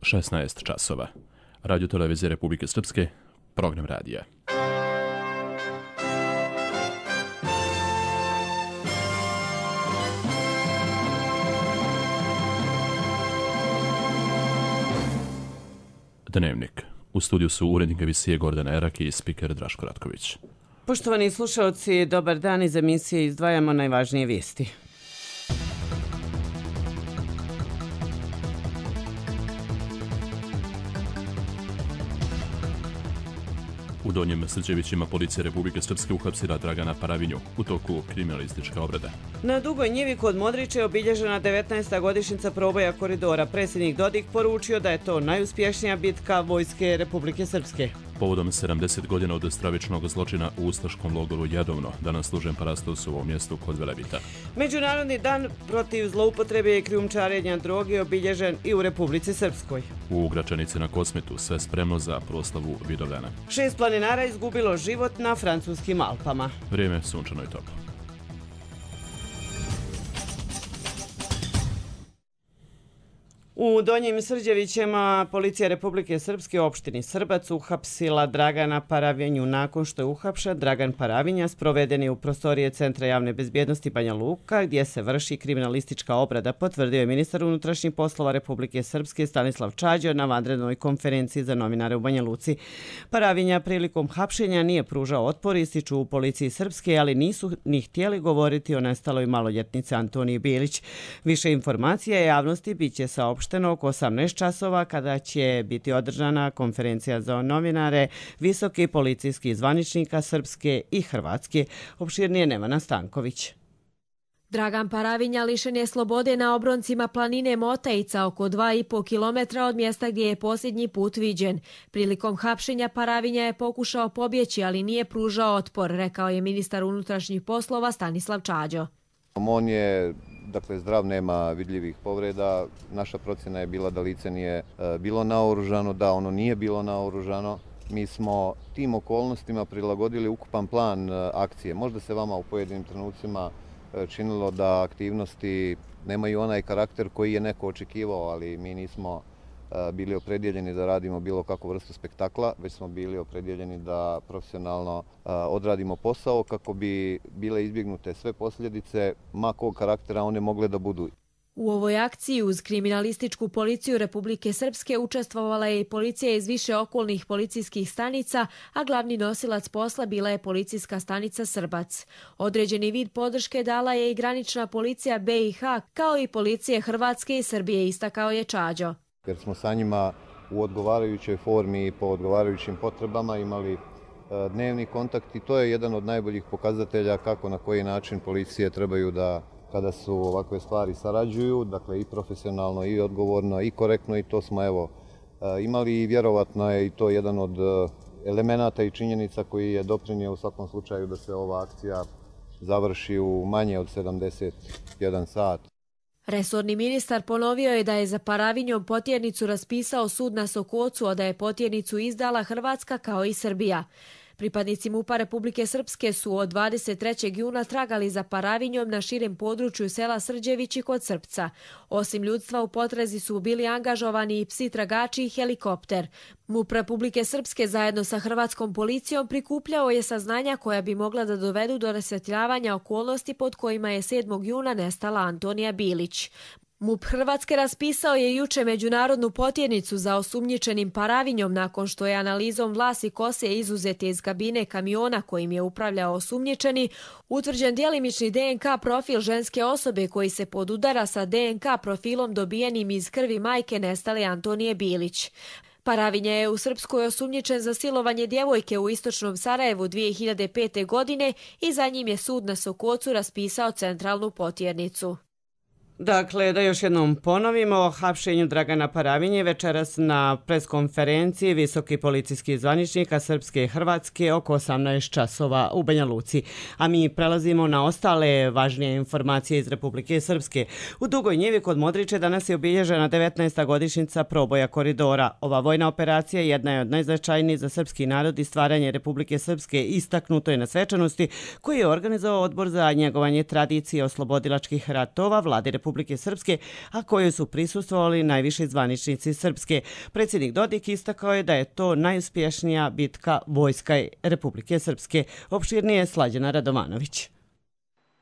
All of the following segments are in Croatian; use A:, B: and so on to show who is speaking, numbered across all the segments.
A: 16 časova. Radio televizije Republike Srpske, program radija. Dnevnik. U studiju su urednik emisije Gordana Erak i spiker Draško Ratković.
B: Poštovani slušalci, dobar dan. Iz emisije izdvajamo najvažnije vijesti.
A: U Donjem Srđevićima policija Republike Srpske uhapsila Dragana Paravinju u toku kriminalistička obrada.
B: Na Dugoj njivi kod Modrića je obilježena 19. godišnjica proboja koridora. Predsjednik Dodik poručio da je to najuspješnija bitka Vojske Republike Srpske.
A: Povodom 70 godina od stravičnog zločina u ustaškom logoru Jadovno, danas služen parastos u ovom mjestu kod Velebita.
B: Međunarodni dan protiv zloupotrebe i krijumčarenja droge je obilježen i u Republici Srpskoj.
A: U Gračanici na Kosmetu sve spremno za proslavu Vidovdana.
B: 6 planinara izgubilo život na francuskim Alpama.
A: Vrijeme sunčano i toplo.
B: U Donjim Srđevićima policija Republike Srpske u opštini Srbac uhapsila Dragana Paravinju. Nakon što je uhapšen, Dragan Paravinja sproveden je u prostorije Centra javne bezbjednosti Banja Luka, gdje se vrši kriminalistička obrada, potvrdio je ministar unutrašnjih poslova Republike Srpske Stanislav Čađo na vanrednoj konferenciji za novinare u Banja Luci. Paravinja prilikom hapšenja nije pružao otpor, ističu u policiji Srpske, ali nisu ni htjeli govoriti o nestaloj maloljetnici Antoniji Bilić. Više informacija javnosti biće saopšteno oko 18 časova kada će biti održana konferencija za novinare visokih policijskih zvaničnika Srpske i Hrvatske. Opširnije Nevana Stanković.
C: Dragan Paravinja lišen je slobode na obroncima planine Motajica, oko 2,5 km od mjesta gdje je posljednji put viđen. Prilikom hapšenja Paravinja je pokušao pobjeći, ali nije pružao otpor, rekao je ministar unutrašnjih poslova Stanislav Čađo.
D: On je zdrav, nema vidljivih povreda. Naša procjena je bila da lice nije bilo naoružano, da ono nije bilo naoružano. Mi smo tim okolnostima prilagodili ukupan plan akcije. Možda se vama u pojedinim trenucima činilo da aktivnosti nemaju onaj karakter koji je neko očekivao, ali mi nismo bili opredjeljeni da radimo bilo kakvu vrstu spektakla, već smo bili opredjeljeni da profesionalno odradimo posao kako bi bile izbjegnute sve posljedice, ma kog karaktera one mogle da budu.
C: U ovoj akciji uz kriminalističku policiju Republike Srpske učestvovala je i policija iz više okolnih policijskih stanica, a glavni nosilac posla bila je policijska stanica Srbac. Određeni vid podrške dala je i granična policija BiH, kao i policije Hrvatske i Srbije, istakao je Čađo.
D: Jer smo sa njima u odgovarajućoj formi i po odgovarajućim potrebama imali dnevni kontakt i to je jedan od najboljih pokazatelja kako na koji način policije trebaju da, kada su ovakve stvari sarađuju, dakle i profesionalno i odgovorno i korektno, i to smo imali i vjerovatno je i to jedan od elemenata i činjenica koji je doprinio u svakom slučaju da se ova akcija završi u manje od 71 sat.
C: Resorni ministar ponovio je da je za Paravinjom potjernicu raspisao sud na Sokocu, a da je potjernicu izdala Hrvatska kao i Srbija. Pripadnici MUP-a Republike Srpske su od 23. juna tragali za Paravinjom na širem području sela Srđevići kod Srpca. Osim ljudstva u potrazi su bili angažovani i psi tragači i helikopter. MUP Republike Srpske zajedno sa hrvatskom policijom prikupljao je saznanja koja bi mogla da dovedu do rasvjetljavanja okolnosti pod kojima je 7. juna nestala Antonija Bilić. MUP Hrvatske raspisao je juče međunarodnu potjernicu za osumnjičenim Paravinjom nakon što je analizom vlasi kose izuzete iz kabine kamiona kojim je upravljao osumnjičeni utvrđen djelimični DNK profil ženske osobe koji se podudara sa DNK profilom dobijenim iz krvi majke nestale Antonije Bilić. Paravinja je u Srpskoj osumnjičen za silovanje djevojke u istočnom Sarajevu 2005. godine i za njim je sud na Sokocu raspisao centralnu potjernicu.
B: Dakle, da još jednom ponovimo o hapšenju Dragana Paravinje večeras na preskonferenciji visokih policijskih zvaničnika Srpske i Hrvatske oko 18 časova u Banja Luci. A mi prelazimo na ostale važnije informacije iz Republike Srpske. U Dugoj njivi kod Modrića danas je obilježena 19. godišnjica proboja koridora. Ova vojna operacija jedna je od najznačajnijih za srpski narod i stvaranje Republike Srpske, istaknuto je na svečanosti koji je organizovao Odbor za njegovanje tradicije oslobodilačkih ratova Vlade Republike Republike Srpske, a koje su prisustvovali najviši zvaničnici Srpske. Predsjednik Dodik istakao je da je to najuspješnija bitka Vojska Republike Srpske. Opširnije Slađana Radovanović.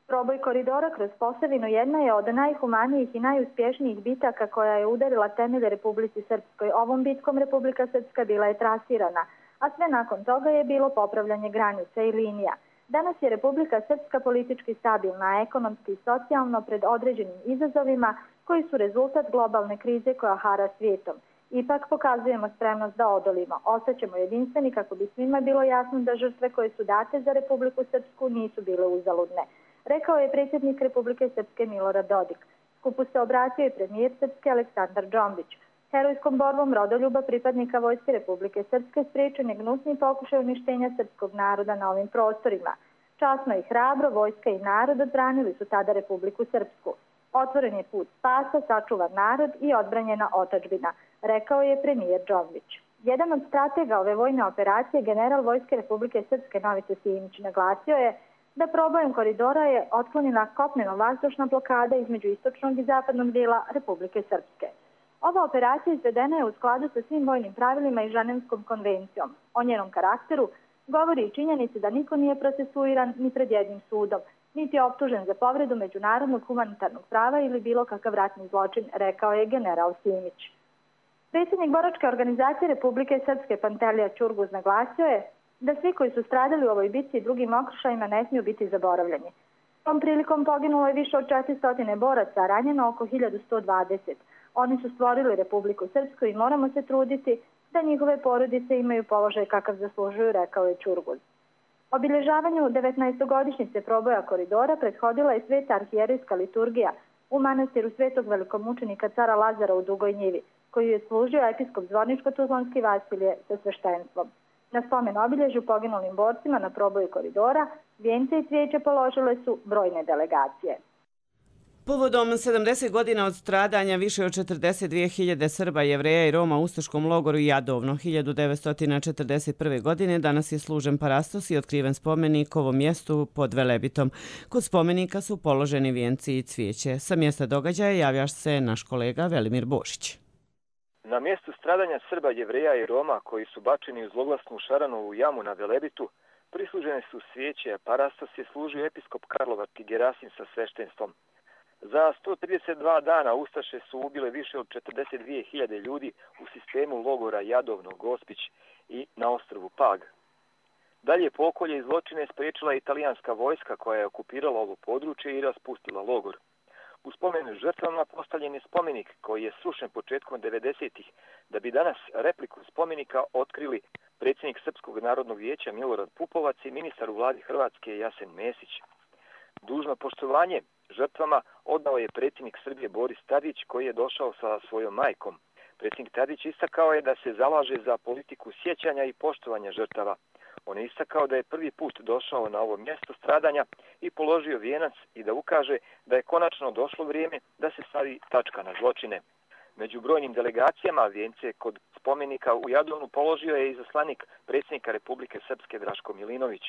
E: Proboj koridora kroz Posavinu jedna je od najhumanijih i najuspješnijih bitaka koja je udarila temelje Republici Srpskoj. Ovom bitkom Republika Srpska bila je trasirana, a sve nakon toga je bilo popravljanje granica i linija. Danas je Republika Srpska politički stabilna, a ekonomski i socijalno pred određenim izazovima koji su rezultat globalne krize koja hara svijetom. Ipak pokazujemo spremnost da odolimo. Ostaćemo jedinstveni kako bi svima bilo jasno da žrtve koje su date za Republiku Srpsku nisu bile uzaludne, rekao je predsjednik Republike Srpske Milorad Dodik. Skupu se obratio i premijer Srpske Aleksandar Džombić. Herojskom borbom rodoljuba pripadnika Vojske Republike Srpske spriječen je gnusni pokušaj uništenja srpskog naroda na ovim prostorima. Časno i hrabro vojska i narod odbranili su tada Republiku Srpsku. Otvoren je put spasa, sačuvan narod i odbranjena otadžbina, rekao je premijer Džombić. Jedan od stratega ove vojne operacije, general Vojske Republike Srpske Novice Simić, naglasio je da probojem koridora je otklonjena kopneno-vazdušna blokada između istočnog i zapadnog dijela Republike Srpske. Ova operacija izvedena je u skladu sa svim vojnim pravilima i Ženevskom konvencijom. O njenom karakteru govori i činjenici da niko nije procesuiran ni pred jednim sudom, niti je optužen za povredu međunarodnog humanitarnog prava ili bilo kakav ratni zločin, rekao je general Simić. Predsjednik boračke organizacije Republike Srpske Pantelija Ćurguz naglasio je da svi koji su stradali u ovoj bitci i drugim okršajima ne smiju biti zaboravljeni. Tom prilikom poginulo je više od 400 boraca, a ranjeno oko 1120. Oni su stvorili Republiku Srpsku i moramo se truditi da njihove porodice imaju položaj kakav zaslužuju, rekao je Ćurguz. Obilježavanju 19. proboja koridora prethodila je sveta arhijerejska liturgija u manastiru svetog velikomučenika cara Lazara u Dugoj Njivi, koju je služio episkop Zvorničko-Tuzlanski Vasilije sa sveštenstvom. Na spomen obilježju poginulim borcima na proboju koridora vijence i cvijeće položile su brojne delegacije.
B: Povodom 70 godina od stradanja više od 42.000 Srba, Jevreja i Roma u ustaškom logoru Jadovno 1941. godine danas je služen parastos i otkriven spomenik ovom mjestu pod Velebitom. Kod spomenika su položeni vijenci i cvijeće. Sa mjesta događaja javlja se naš kolega Velimir Bošić.
F: Na mjestu stradanja Srba, Jevreja i Roma koji su bačeni u zloglasnu Šaranovu jamu na Velebitu prislužene su svijeće, a parastos je služio episkop Karlovački Gerasim sa sveštenstvom. Za 132 dana ustaše su ubile više od 42.000 ljudi u sistemu logora Jadovno, Gospić i na ostrvu Pag. Dalje pokolje i zločine spriječila italijanska vojska koja je okupirala ovo područje i raspustila logor. U spomenu žrtvama postavljen je spomenik koji je srušen početkom 90-ih, da bi danas repliku spomenika otkrili predsjednik Srpskog narodnog vijeća Milorad Pupovac i ministar u vladi Hrvatske Jasen Mesić. Dužno poštovanje žrtvama odao je predsjednik Srbije Boris Tadić koji je došao sa svojom majkom. Predsjednik Tadić istakao je da se zalaže za politiku sjećanja i poštovanja žrtava. On je istakao da je prvi put došao na ovo mjesto stradanja i položio vijenac i da ukaže da je konačno došlo vrijeme da se stavi tačka na zločine. Među brojnim delegacijama vijence kod spomenika u Jadovnu položio je izaslanik predsjednika Republike Srpske Draško Milinović.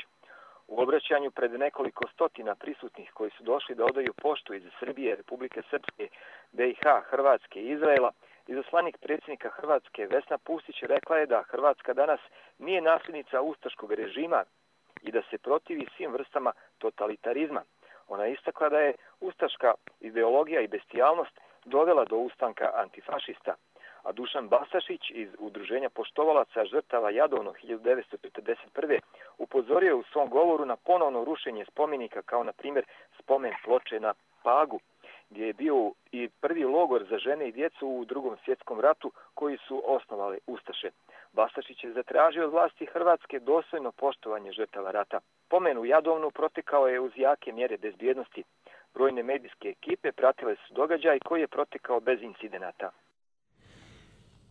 F: U obraćanju pred nekoliko stotina prisutnih koji su došli da odaju poštu iz Srbije, Republike Srpske, BiH, Hrvatske i Izraela, izaslanik predsjednika Hrvatske Vesna Pustić rekla je da Hrvatska danas nije nasljednica ustaškog režima i da se protivi svim vrstama totalitarizma. Ona je istakla da je ustaška ideologija i bestijalnost dovela do ustanka antifašista. A Dušan Bastašić iz Udruženja poštovalaca žrtava Jadovno 1941. upozorio je u svom govoru na ponovno rušenje spomenika kao na primjer spomen ploče na Pagu, gdje je bio i prvi logor za žene i djecu u Drugom svjetskom ratu koji su osnovali ustaše. Bastašić je zatražio od vlasti Hrvatske dostojno poštovanje žrtava rata. Pomen u Jadovnu protekao je uz jake mjere bezbjednosti. Brojne medijske ekipe pratile su događaj koji je protekao bez incidenata.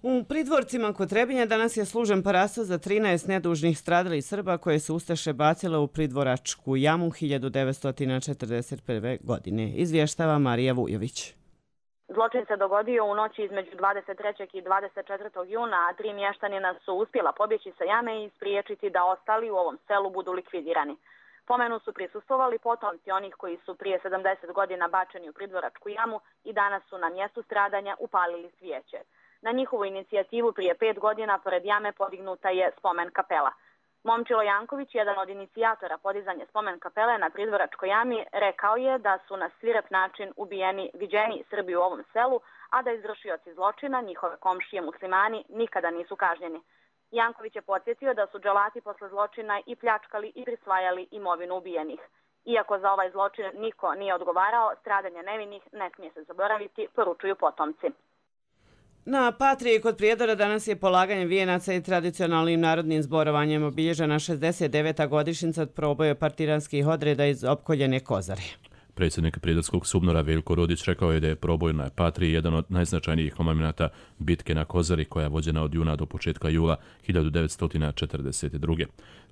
B: U pridvorcima kod Trebinja danas je služen parastos za 13 nedužnih stradalih Srba koje su ustaše bacile u pridvoračku jamu 1941. godine. Izvještava Marija Vujović.
G: Zločin se dogodio u noći između 23. i 24. juna, a 3 mještanina su uspjela pobjeći sa jame i spriječiti da ostali u ovom selu budu likvidirani. Spomenu su prisustvovali potomci onih koji su prije 70 godina bačeni u Pridvoračku jamu i danas su na mjestu stradanja upalili svijeće. Na njihovu inicijativu prije 5 godina pored jame podignuta je spomen kapela. Momčilo Janković, jedan od inicijatora podizanja spomen kapele na Pridvoračkoj jami, rekao je da su na svirep način ubijeni viđeni Srbi u ovom selu, a da izvršioci zločina, njihove komšije muslimani, nikada nisu kažnjeni. Janković je podsjetio da su dželati posle zločina i pljačkali i prisvajali imovinu ubijenih. Iako za ovaj zločin niko nije odgovarao, stradanje nevinih ne smije se zaboraviti, poručuju potomci.
B: Na Patriji kod Prijedora danas je polaganje vijenaca i tradicionalnim narodnim zborovanjem obilježena 69. godišnjica od proboja partiranskih odreda iz opkoljene Kozare.
A: Predsjednik Prijedorskog SUBNOR-a Veljko Rodić rekao je da je proboj na Patriji jedan od najznačajnijih momenata bitke na Kozari koja je vođena od juna do početka jula 1942.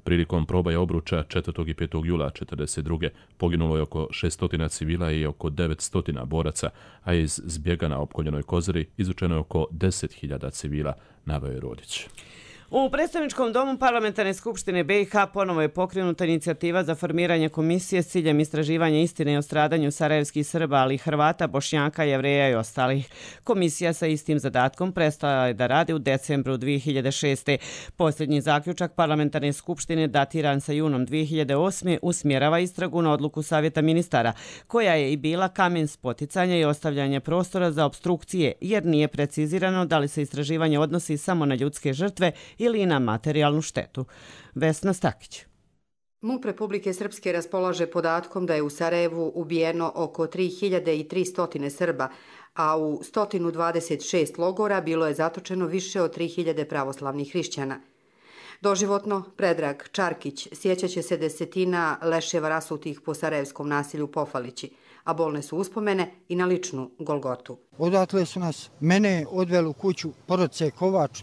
A: Prilikom probaja obruča 4. i 5. jula 1942. poginulo je oko 600 civila i oko 900 boraca, a iz zbjega na opkoljenoj Kozari izučeno je oko 10.000 civila, naveo je Rodić.
B: U predstavničkom domu Parlamentarne skupštine BiH ponovo je pokrenuta inicijativa za formiranje komisije s ciljem istraživanja istine o stradanju sarajevskih Srba, ali i Hrvata, Bošnjaka, Jevreja i ostalih. Komisija sa istim zadatkom prestala je da radi u decembru 2006. Posljednji zaključak Parlamentarne skupštine datiran sa junom 2008. usmjerava istragu na odluku Savjeta ministara, koja je i bila kamen spoticanja i ostavljanja prostora za opstrukcije, jer nije precizirano da li se istraživanje odnosi samo na ljudske žrtve ili na materijalnu štetu. Vesna Stakić.
H: MUP Republike Srpske raspolaže podatkom da je u Sarajevu ubijeno oko 3300 Srba, a u 126 logora bilo je zatočeno više od 3000 pravoslavnih hrišćana. Doživotno, Predrag Čarkić sjećaće se desetina leševa rasutih po sarajevskom nasilju Pofalići, a bolne su uspomene i na ličnu Golgotu.
I: Odatle su nas, mene odveli u kuću, porodice Kovač,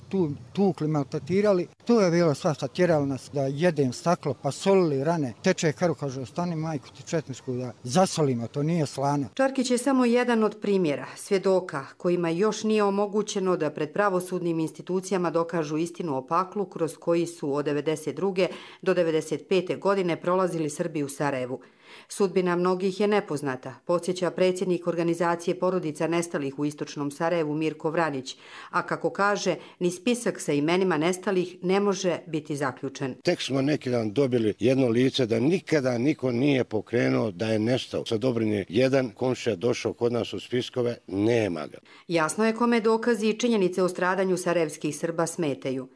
I: tukli, maltretirali. Tu je bilo svašta, tjerali nas da jedem staklo, pa solili rane. Teče krv, kaže, ostani majku ti četničku da zasolimo, to nije slano.
H: Čarkić je samo jedan od primjera, svjedoka kojima još nije omogućeno da pred pravosudnim institucijama dokažu istinu o paklu kroz koji su od 1992. do 1995. godine prolazili Srbi u Sarajevu. Sudbina mnogih je nepoznata, podsjeća predsjednik organizacije porodica nestalih u istočnom Sarajevu Mirko Vranić, a kako kaže, ni spisak sa imenima nestalih ne može biti zaključen.
J: Tek smo neki dan dobili jedno lice da nikada niko nije pokrenuo da je nestao. Sa Dobrinje jedan komšija došao kod nas u spiskove, nema ga.
H: Jasno je kome dokazi i činjenice o stradanju sarajevskih Srba smetaju.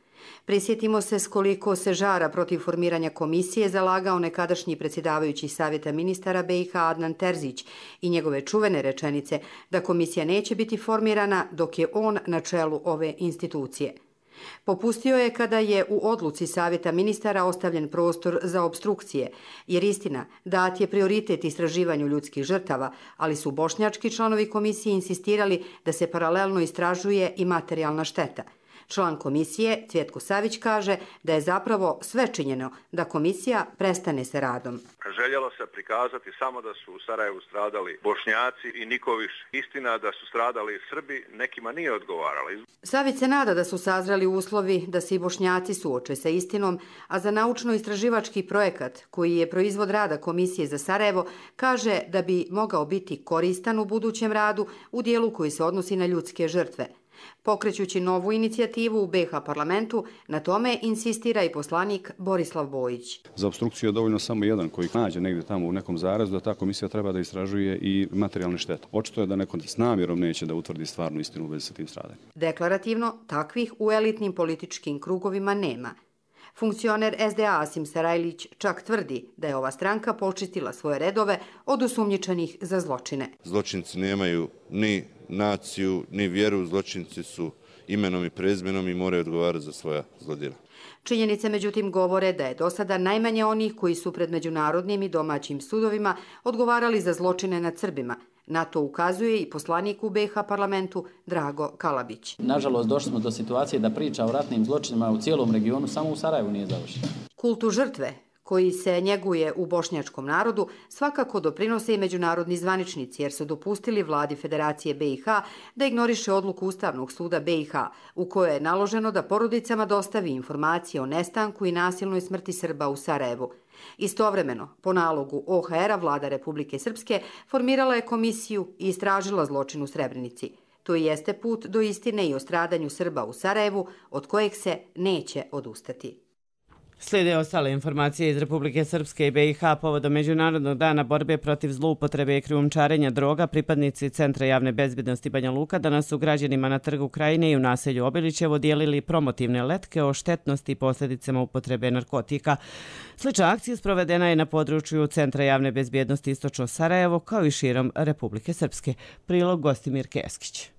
H: Prisjetimo se s koliko se žara protiv formiranja komisije zalagao nekadašnji predsjedavajući Savjeta ministara BiH Adnan Terzić i njegove čuvene rečenice da komisija neće biti formirana dok je on na čelu ove institucije. Popustio je kada je u odluci Savjeta ministara ostavljen prostor za opstrukcije, jer istina, dat je prioritet istraživanju ljudskih žrtava, ali su bošnjački članovi komisije insistirali da se paralelno istražuje i materijalna šteta. Član komisije, Cvjetko Savić, kaže da je zapravo sve činjeno da komisija prestane sa radom.
K: Željelo se prikazati samo da su u Sarajevu stradali Bošnjaci i niko više. Istina da su stradali Srbi nekima nije odgovarala.
H: Savić se nada da su sazreli uslovi da se i Bošnjaci suoče sa istinom, a za naučno-istraživački projekat, koji je proizvod rada Komisije za Sarajevo, kaže da bi mogao biti koristan u budućem radu u dijelu koji se odnosi na ljudske žrtve. Pokrećući novu inicijativu u BiH parlamentu, na tome insistira i poslanik Borislav Bojić.
L: Za opstrukciju je dovoljno samo jedan koji nađe negdje tamo u nekom zarazu da ta komisija treba da istražuje i materijalne štete. Očito je da neko s namjerom neće da utvrdi stvarnu istinu u vezi sa tim stradanjem.
H: Deklarativno, takvih u elitnim političkim krugovima nema. Funkcioner SDA Asim Sarajlić čak tvrdi da je ova stranka počistila svoje redove od osumnjičenih za zločine.
M: Zločinci nemaju ni naciju, ni vjeru, zločinci su imenom i prezmenom i moraju odgovarati za svoja zlodjela.
H: Činjenice međutim govore da je do sada najmanje onih koji su pred međunarodnim i domaćim sudovima odgovarali za zločine nad Srbima. Na to ukazuje i poslanik u BiH parlamentu Drago Kalabić.
N: Nažalost, došli smo do situacije da priča o ratnim zločinima u cijelom regionu samo u Sarajevu nije završena.
H: Kultu žrtve, koji se njeguje u bošnjačkom narodu, svakako doprinose i međunarodni zvaničnici, jer su dopustili vladi Federacije BiH da ignoriše odluku Ustavnog suda BiH, u kojoj je naloženo da porodicama dostavi informacije o nestanku i nasilnoj smrti Srba u Sarajevu. Istovremeno, po nalogu OHR-a, vlada Republike Srpske formirala je komisiju i istražila zločin u Srebrenici. To jeste put do istine i o stradanju Srba u Sarajevu, od kojeg se neće odustati.
B: Slijede ostale informacije iz Republike Srpske i BiH povodom Međunarodnog dana borbe protiv zloupotrebe i krijumčarenja droga. Pripadnici Centra javne bezbjednosti Banja Luka danas su građanima na trgu Krajine i u naselju Obilićevo dijelili promotivne letke o štetnosti i posljedicama upotrebe narkotika. Slična akcija sprovedena je na području Centra javne bezbjednosti Istočno Sarajevo kao i širom Republike Srpske. Prilog Gostimir Keskić.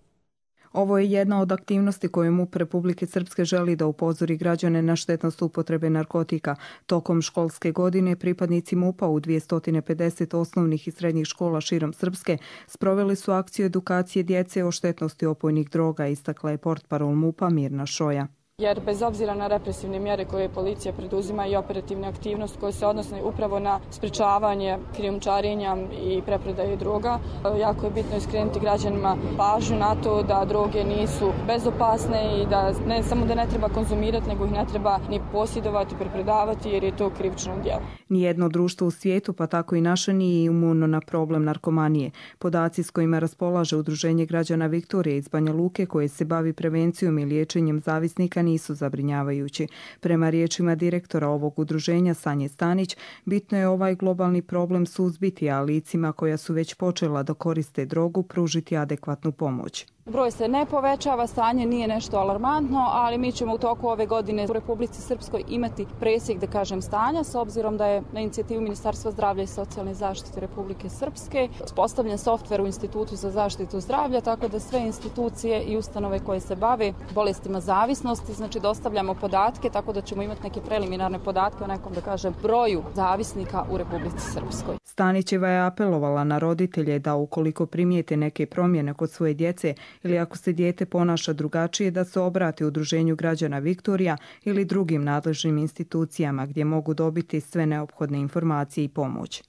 N: Ovo je jedna od aktivnosti koju MUP Republike Srpske želi da upozori građane na štetnost upotrebe narkotika. Tokom školske godine pripadnici MUP-a u 250 osnovnih i srednjih škola širom Srpske sproveli su akciju edukacije djece o štetnosti opojnih droga, istakla je portparol MUP-a Mirna Šoja.
O: Jer bez obzira na represivne mjere koje policija preduzima i operativne aktivnosti koje se odnose upravo na sprečavanje krijumčarenja i preprodaje droga, jako je bitno iskrenuti građanima pažnju na to da droge nisu bezopasne i da ne samo da ne treba konzumirati, nego ih ne treba ni posjedovati, preprodavati jer je to krivično djelo.
N: Nijedno društvo u svijetu, pa tako i naše, nije imuno na problem narkomanije. Podaci s kojima raspolaže Udruženje građana Viktorije iz Banja Luke, koje se bavi prevencijom i liječenjem zavisnika, nisu zabrinjavajući. Prema riječima direktora ovog udruženja Sanje Stanić, bitno je ovaj globalni problem suzbiti, a licima koja su već počela da koriste drogu pružiti adekvatnu pomoć.
O: Broj se ne povećava, stanje nije nešto alarmantno, ali mi ćemo u toku ove godine u Republici Srpskoj imati presjek, da kažem, stanja, s obzirom da je na inicijativu Ministarstva zdravlja i socijalne zaštite Republike Srpske uspostavljen softver u Institutu za zaštitu zdravlja, tako da sve institucije i ustanove koje se bave bolestima zavisnosti, znači dostavljamo podatke, tako da ćemo imati neke preliminarne podatke o nekom, da kažem, broju zavisnika u Republici Srpskoj.
N: Stanićeva je apelovala na roditelje da ukoliko primijete neke promjene kod svoje djece ili ako se dijete ponaša drugačije, da se obrati Udruženju građana Viktorija ili drugim nadležnim institucijama gdje mogu dobiti sve neophodne informacije i pomoć.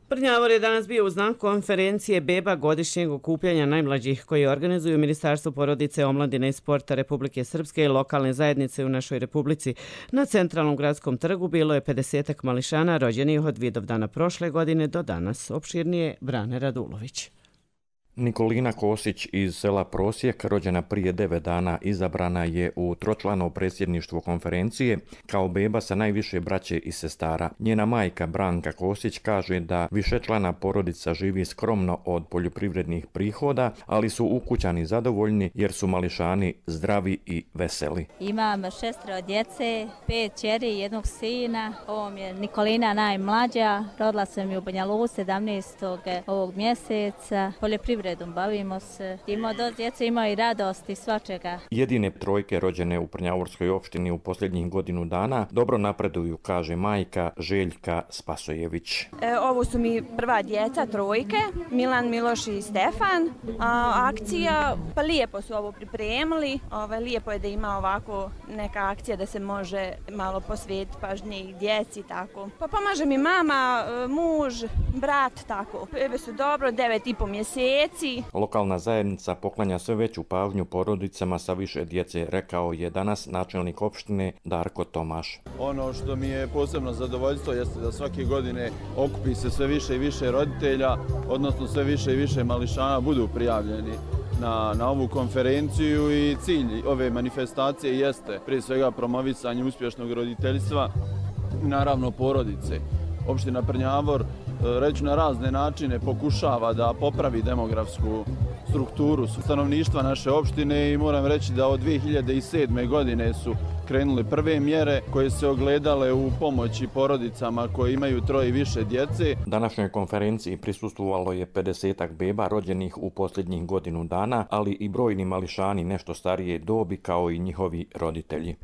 B: Prnjavor je danas bio u znak konferencije beba godišnjeg okupljanja najmlađih koji organizuju Ministarstvo porodice, omladine i sporta Republike Srpske i lokalne zajednice u našoj Republici. Na centralnom gradskom trgu bilo je 50 mališana rođenih od Vidovdana prošle godine do danas. Opširnije Brane Radulović.
P: Nikolina Kosić iz sela Prosjek, rođena prije 9 dana, izabrana je u tročlano predsjedništvo konferencije kao beba sa najviše braće i sestara. Njena majka Branka Kosić kaže da višečlana porodica živi skromno od poljoprivrednih prihoda, ali su ukućani zadovoljni jer su mališani zdravi i veseli.
Q: Imam 6 djece, 5 kćeri i 1 sina. Ovo mi je Nikolina najmlađa, rodila sam ju u Banja Luci 17. ovog mjeseca. Bavimo se. Ima do djece, ima i radosti svačega.
P: Jedine trojke rođene u Prnjavorskoj opštini u posljednjih godinu dana dobro napreduju, kaže majka Željka Spasojević.
R: Ovo su mi prva djeca, trojke, Milan, Miloš i Stefan. Akcija, pa lijepo su ovo pripremili. Lijepo je da ima ovako neka akcija da se može malo posvetiti pažnje i djeci, tako. Pa pomaže mi mama, muž, brat, tako. Bebe su dobro, 9,5 mjeseci.
P: Lokalna zajednica poklanja sve veću pažnju porodicama sa više djece, rekao je danas načelnik opštine Darko Tomaš.
S: Ono što mi je posebno zadovoljstvo jeste da svake godine okupi se sve više i više roditelja, odnosno sve više i više mališana budu prijavljeni na ovu konferenciju i cilj ove manifestacije jeste prije svega promovisanje uspješnog roditeljstva, naravno porodice. Opština Prnjavor reći na razne načine pokušava da popravi demografsku strukturu stanovništva naše opštine i moram reći da od 2007. godine su krenule prve mjere koje se ogledale u pomoći porodicama koje imaju 3 i više djece.
P: Današnjoj konferenciji prisustvovalo je 50 beba rođenih u posljednjih godinu dana, ali i brojni mališani nešto starije dobi kao i njihovi roditelji.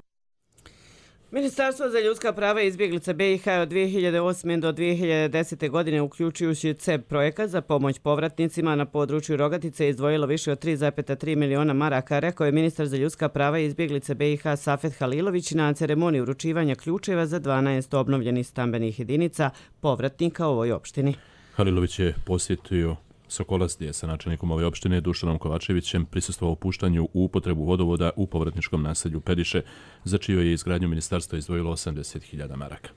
B: Ministarstvo za ljudska prava i izbjeglice BiH od 2008. do 2010. godine, uključujući CEB projekat za pomoć povratnicima na području Rogatice, izdvojilo više od 3,3 miliona maraka, rekao je ministar za ljudska prava i izbjeglice BiH Safet Halilović na ceremoniji uručivanja ključeva za 12 obnovljenih stambenih jedinica povratnika u ovoj opštini.
A: Halilović je posjetio Sokolac, gdje je sa načelnikom ove opštine Dušanom Kovačevićem prisustvovao upuštanju u upotrebu vodovoda u povratničkom naselju Pediše, za čiju je izgradnju ministarstvo izdvojilo 80.000 maraka.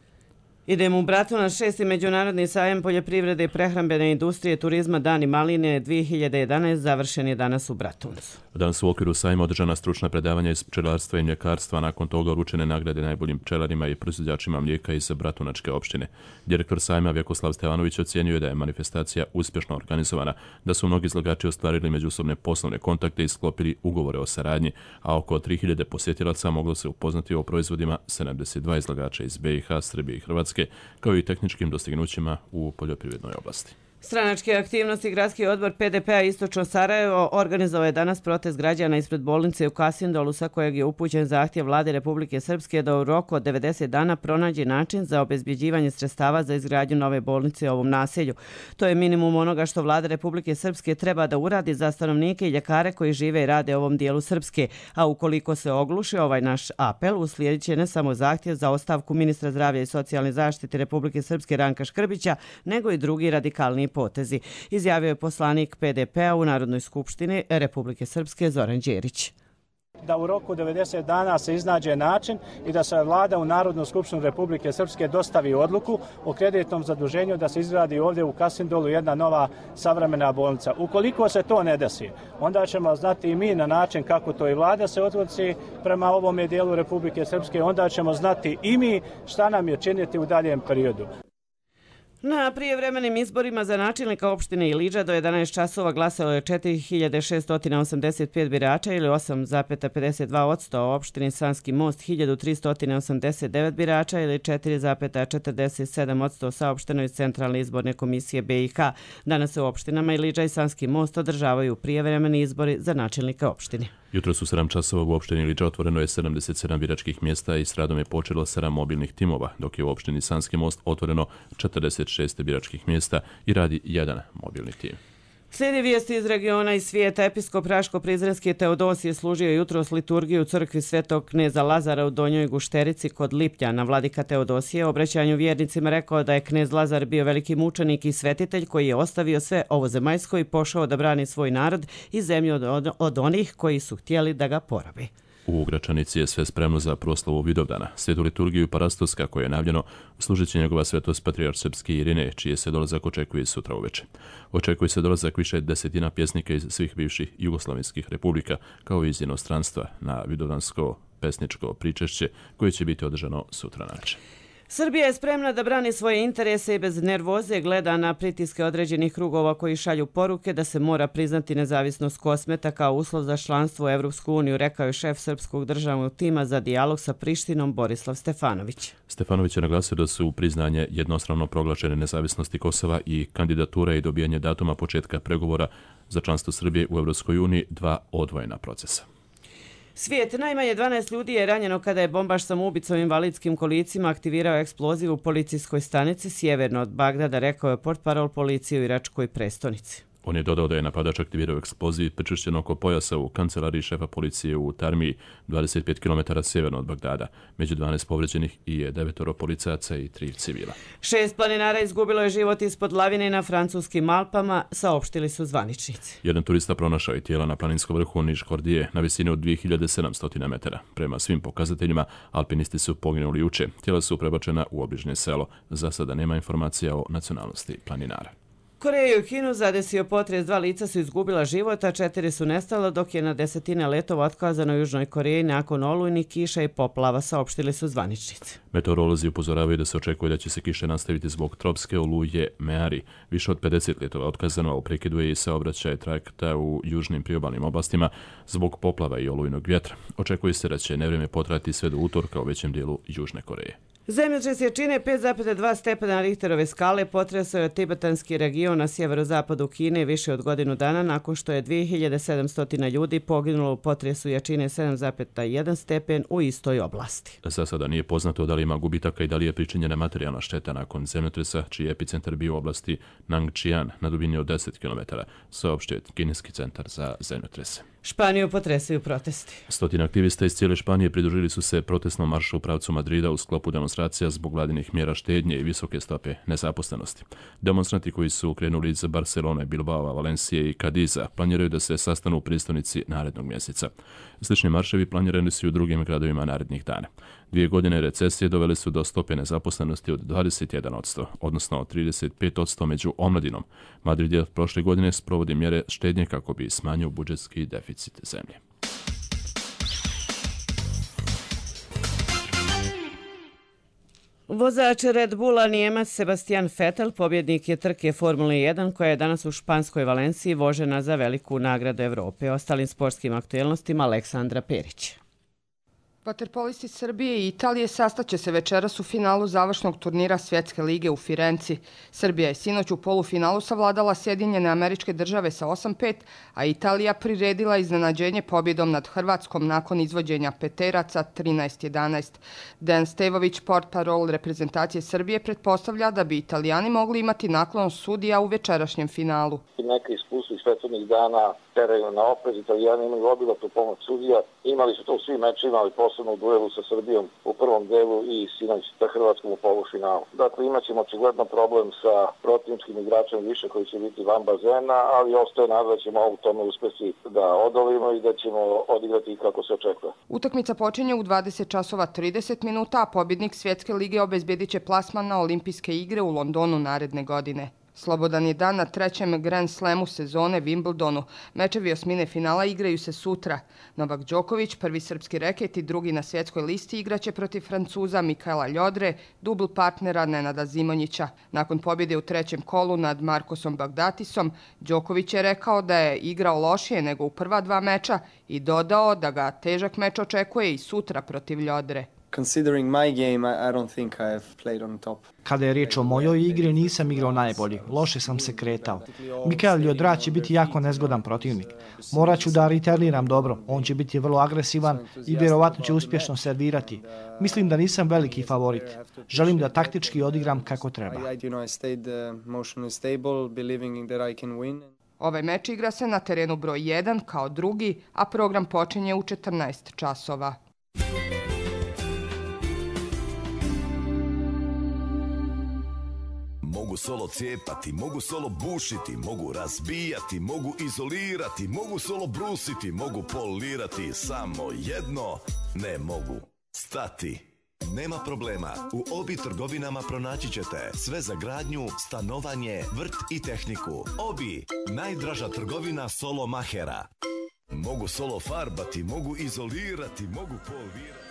B: Idemo u Bratunac. 6. međunarodni sajam poljoprivrede i prehrambene industrije turizma Dani maline 2011 završen je danas u Bratuncu.
A: Danas u okviru sajma održana stručna predavanja iz pčelarstva i mljekarstva, nakon toga uručene nagrade najboljim pčelarima i proizvođačima mlijeka iz Bratunačke opštine. Direktor sajma Vjekoslav Stevanović ocjenjuje da je manifestacija uspješno organizovana, da su mnogi izlagači ostvarili međusobne poslovne kontakte i sklopili ugovore o saradnji, a oko 3000 posjetilaca moglo se upoznati o proizvodima 72 izlagača iz BiH, Srbije i Hrvatske, kao i tehničkim dostignućima u poljoprivrednoj oblasti.
B: Stranačke aktivnosti Gradski odbor PDP-a Istočno Sarajevo organizovao je danas protest građana ispred bolnice u Kasindolu, sa kojeg je upućen zahtjev vlade Republike Srpske da u roku od 90 dana pronađe način za obezbjeđivanje sredstava za izgradnju nove bolnice u ovom naselju. To je minimum onoga što vlada Republike Srpske treba da uradi za stanovnike i ljekare koji žive i rade u ovom dijelu Srpske, a ukoliko se ogluši ovaj naš apel, uslijedit će ne samo zahtjev za ostavku ministra zdravlja i socijalne zaštite Republike Srpske Ranka Škrbića, nego i drugi radikalni potezi, izjavio je poslanik PDP-a u Narodnoj skupštini Republike Srpske Zoran Đerić.
T: Da u roku 90 dana se iznađe način i da se vlada u Narodnu skupštinu Republike Srpske dostavi odluku o kreditnom zaduženju da se izgradi ovdje u Kasindolu jedna nova savremena bolnica. Ukoliko se to ne desi, onda ćemo znati i mi na način kako to i vlada se odnosi prema ovome dijelu Republike Srpske, onda ćemo znati i mi šta nam je činiti u daljem periodu.
B: Na prijevremenim izborima za načelnika opštine Iliđa do 11 časova glasalo je 4685 birača ili 8,52%, u opštini Sanski Most 1389 birača ili 4,47% saopšteno iz Centralne izborne komisije BiH. Danas se u opštinama Iliđa i Sanski Most održavaju prijevremeni izbori za načelnika opštine.
A: Jutro su 7 časova u opštini Iliđa otvoreno je 77 biračkih mjesta i s radom je počelo 7 mobilnih timova, dok je u opštini Sanski Most otvoreno 46 biračkih mjesta i radi jedan mobilni tim.
B: Slijedi vijesti iz regiona i svijeta. Episkop Raško-Prizrenski Teodosije služio jutros liturgiju u crkvi Svetog kneza Lazara u Donjoj Gušterici kod Lipljana. Vladika Teodosije u obraćanju vjernicima rekao da je knez Lazar bio veliki mučenik i svetitelj koji je ostavio sve ovozemaljsko i pošao da brani svoj narod i zemlju od onih koji su htjeli da ga porabi.
A: U Gračanici je sve spremno za proslavu Vidovdana. Svetu liturgiju Parastos, kako je najavljeno, služit će njegova svetost patrijarh srpski Irine, čije se dolazak očekuje sutra uveče. Očekuje se dolazak više desetina pjesnika iz svih bivših jugoslavenskih republika, kao i iz inostranstva, na vidovdansko pesničko pričešće koje će biti održano sutra navečer.
B: Srbija je spremna da brani svoje interese i bez nervoze gleda na pritiske određenih krugova koji šalju poruke da se mora priznati nezavisnost Kosmeta kao uslov za članstvo u Evropsku uniju, rekao je šef srpskog državnog tima za dijalog sa Prištinom Borislav Stefanović.
A: Stefanović je naglasio da su priznanje jednostrano proglašene nezavisnosti Kosova i kandidatura i dobijanje datuma početka pregovora za članstvo Srbije u Evropskoj uniji dva odvojena procesa.
B: Svijet, najmanje 12 ljudi je ranjeno kada je bombaš samoubicom invalidskim kolicima aktivirao eksploziv u policijskoj stanici sjeverno od Bagdada, rekao je portparol policije u iračkoj prestonici.
A: On je dodao da je napadač aktivirao eksploziv pričvršćen oko pojasa u kancelariji šefa policije u Tarmiji, 25 km sjeverno od Bagdada. Među 12 povređenih i je 9 policajaca i 3 civila.
B: 6 planinara izgubilo je život ispod lavine na francuskim Alpama, saopštili su zvaničnici.
A: Jedan turista pronašao je tijela na planinskom vrhu Niš Hordije na visini od 2700 metara. Prema svim pokazateljima, alpinisti su poginuli juče. Tijela su prebačena u obližnje selo. Za sada nema informacija o nacionalnosti planinara.
B: Koreju i Kinu zadesio potres, 2 lica su izgubila život, a 4 su nestala, dok je na desetine letova otkazano u Južnoj Koreji nakon olujnih kiša i poplava, saopštili su zvaničnici.
A: Meteorolozi upozoravaju da se očekuje da će se kiše nastaviti zbog tropske oluje Meari. Više od 50 letova otkazano, a u prekidu je i saobraćaj trajekta u južnim priobalnim oblastima zbog poplava i olujnog vjetra. Očekuje se da će nevrijeme potrajati sve do utorka u većem dijelu Južne Koreje.
B: Zemljotres jačine 5,2 stepena Richterove skale potresao je tibetanski region na sjeverozapadu Kine više od godinu dana nakon što je 2700 ljudi poginulo u potresu jačine 7,1 stepen u istoj oblasti.
A: Za sada nije poznato da li ima gubitaka i da li je pričinjena materijalna šteta nakon zemljotresa, čiji je epicentar bio u oblasti Nangčian na dubini od 10 km, saopštio kineski centar za zemljotrese.
B: Španiju potresaju protesti.
A: Stotina aktivista iz cijele Španije pridružili su se protestnom maršu u pravcu Madrida u sklopu demonstracija zbog vladinih mjera štednje i visoke stope nezaposlenosti. Demonstranti koji su krenuli iz Barcelone, Bilbao, Valencije i Cadiza planiraju da se sastanu u prijestolnici narednog mjeseca. Slični marševi planirani su i u drugim gradovima narednih dana. 2 godine recesije dovele su do stope nezaposlenosti od 21%, odnosno 35% među omladinom. Madrid je prošle godine sprovodi mjere štednje kako bi smanjio budžetski deficit zemlje.
B: Vozač Red Bulla Nijemac Sebastian Vettel pobjednik je trke Formule 1 koja je danas u španskoj Valenciji vožena za veliku nagradu Evrope. Ostalim sportskim aktuelnostima Aleksandra Perić.
U: Vaterpolisti Srbije i Italije sastaće se večeras u finalu završnog turnira Svjetske lige u Firenci. Srbija je sinoć u polufinalu savladala Sjedinjene Američke Države sa 8-5, a Italija priredila iznenađenje pobjedom nad Hrvatskom nakon izvođenja peteraca 13-11. Dejan Stevović, portparol reprezentacije Srbije, pretpostavlja da bi Italijani mogli imati naklon sudija u večerašnjem finalu.
V: Neka iskustva iz prethodnih dana teraju na oprez. Italijani imaju obilatu pomoć sudija. Imali su to u svim mečima, ali posebno u duelu sa Srbijom u prvom delu i sinoć sa Hrvatskom u polufinalu. Dakle, imat ćemo očigledno problem sa protivničkim igračem više koji će biti van bazena, ali ostaje nada da ćemo u tome uspjeti da odolimo i da ćemo odigrati kako se očekuje.
U: Utakmica počinje u 20:30, a pobjednik Svjetske lige obezbjedit će plasman na Olimpijske igre u Londonu naredne godine. Slobodan je dan na trećem Grand Slamu sezone Wimbledonu. Mečevi osmine finala igraju se sutra. Novak Đoković, prvi srpski reket i drugi na svjetskoj listi, igraće protiv Francuza Mikaela Ljodre, dubl partnera Nenada Zimonjića. Nakon pobjede u trećem kolu nad Markosom Bagdatisom, Đoković je rekao da je igrao lošije nego u prva 2 meča i dodao da ga težak meč očekuje i sutra protiv Ljodre.
W: Considering my game, I don't think I have played on top.
X: Kada je riječ o mojoj igri, nisam igrao najbolji. Loše sam se kretao. Mikael Ljodra će biti jako nezgodan protivnik. Morat ću da returniram dobro. On će biti vrlo agresivan i vjerovatno će uspješno servirati. Mislim da nisam veliki favorit. Želim da taktički odigram kako treba.
U: Ovaj meč igra se na terenu broj 1 kao drugi, a program počinje u 14 časova.
Y: Mogu solo cijepati, mogu solo bušiti, mogu razbijati, mogu izolirati, mogu solo brusiti, mogu polirati, samo jedno ne mogu stati. Nema problema, u Obi trgovinama pronaći ćete sve za gradnju, stanovanje, vrt i tehniku. Obi, najdraža trgovina solo mahera. Mogu solo farbati, mogu izolirati, mogu polirati.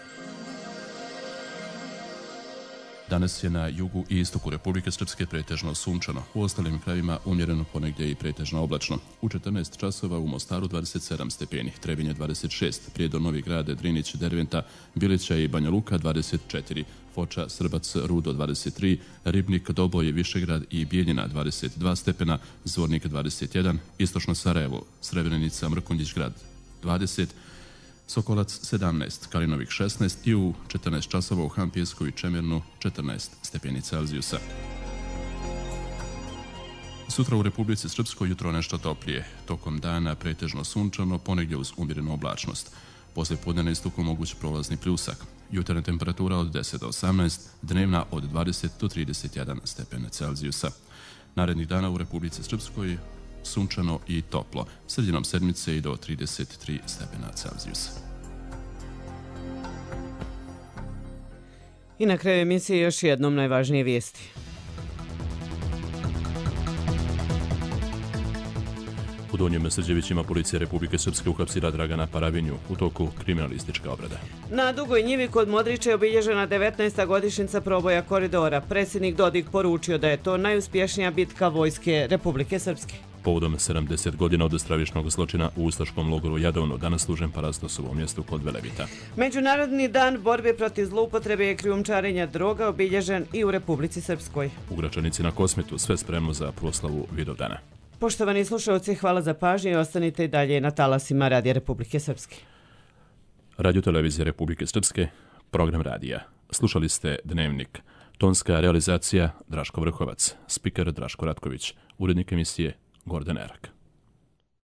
A: Danas je na jugu i istoku Republike Srpske pretežno sunčano, u ostalim krajevima umjereno, ponegdje i pretežno oblačno. U 14 časova u Mostaru 27 stepeni, Trebinje 26, Prijedor, Novi Grad, Drinić, Derventa, Bilića i Banja Luka 24, Foča, Srbac, Rudo 23, Ribnik, Doboj, Višegrad i Bijeljina 22 stepena, Zvornik 21, Istočno Sarajevo, Srebrenica, Mrkonjić grad 20, Sokolac 17, Kalinovik 16 i u 14 časova u Hampijesku i Čemirnu 14 stepeni Celzijusa. Sutra u Republici Srpskoj jutro nešto toplije, tokom dana pretežno sunčano, ponegdje uz umjerenu oblačnost. Poslije podne na istoku moguć prolazni pljusak. Jutarnja temperatura od 10 do 18, dnevna od 20 do 31 stepena Celzijusa. Narednih dana u Republici Srpskoj sunčano i toplo, sredinom sedmice i do 33 stepena Celzijusa.
B: I na kraju emisije još jednom najvažnije vijesti.
A: U Donjem Srđevićima policija Republike Srpske uhapsila Dragana Paravinju u toku kriminalistička obrada.
B: Na Dugoj njivi kod Modrića je obilježena 19. godišnjica proboja koridora. Predsjednik Dodik poručio da je to najuspješnija bitka vojske Republike Srpske.
A: Povodom 70 godina od stravičnog zločina u ustaškom logoru Jadovno danas služen Parastosovo mjestu kod Velebita.
B: Međunarodni dan borbe protiv zloupotrebe i krijumčarenja droga obilježen i u Republici Srpskoj.
A: U Gračanici na Kosmetu sve spremno za proslavu Vidovdana.
B: Poštovani slušalci, hvala za pažnju i ostanite i dalje na talasima Radija Republike Srpske.
A: Radio Televizije Republike Srpske, program radija. Slušali ste Dnevnik. Tonska realizacija Draško Vrhovac, spiker Draško Ratković, urednik emisije Gordon Erak.